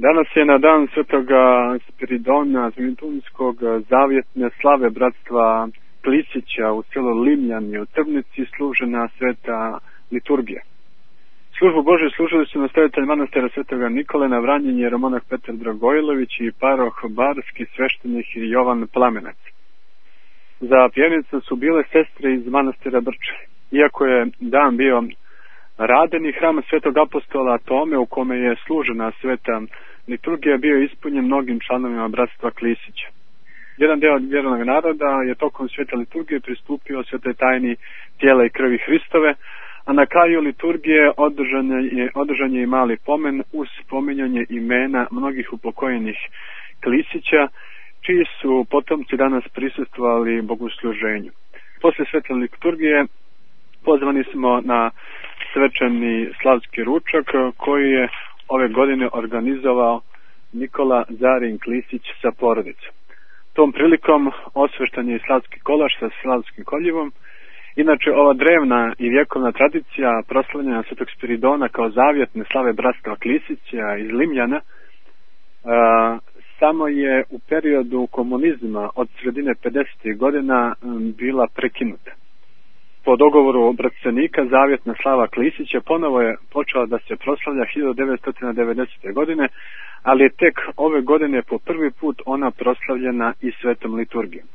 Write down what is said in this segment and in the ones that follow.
Danas je na dan svetoga Spiridona Zmitunskog zavjetne slave bratstva Klisića u selu Limljani u Trnici služena sveta liturgija. Službu Božju služili su nastavitelj manastira svetoga Nikole na Vranjenje, jeromonah Petar Dragojlović i paroh barski sveštenik Jovan Plamenac. Za pjevnicu su bile sestre iz manastira Brče. Iako je dan bio radeni, hram svetog apostola Tome u kome je služena sveta liturgija bio ispunjen mnogim članovima bratstva Klisića. Jedan deo vjernog naroda je tokom svete liturgije pristupio svetoj tajni tijela i krvi Hristove, a na kraju liturgije održan je i mali pomen uz spominjanje imena mnogih upokojenih Klisića, čiji su potomci danas prisustvovali bogosluženju. Posle svete liturgije pozvani smo na svečani slavski ručak koji je ove godine organizovao Nikola Zarin Klisić sa porodicom. Tom prilikom osveštan je i slavski kolač sa slavskim koljevom. Inače, ova drevna i vjekovna tradicija proslavljanja svetog Spiridona kao zavjetne slave bratstva Klisića iz Limljana samo je u periodu komunizma od sredine 50. godina bila prekinuta. Po dogovoru bratstvenika zavjetna slava Klisića ponovo je počela da se proslavlja 1990. godine, ali je tek ove godine po prvi put ona proslavljena i svetom liturgijom.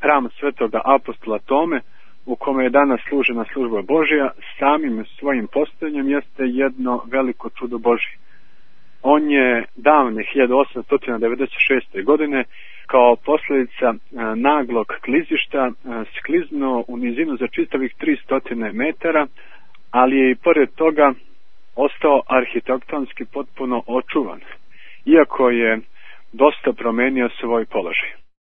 Hram svetoga apostola Tome, u kome je danas služena služba Božja, samim svojim postojanjem jeste jedno veliko čudo Božje. On je davne 1896. godine kao posljedica naglog klizišta skliznuo u nizinu za čitavih 300 metara, ali je i pored toga ostao arhitektonski potpuno očuvan, iako je dosta promenio svoj položaj.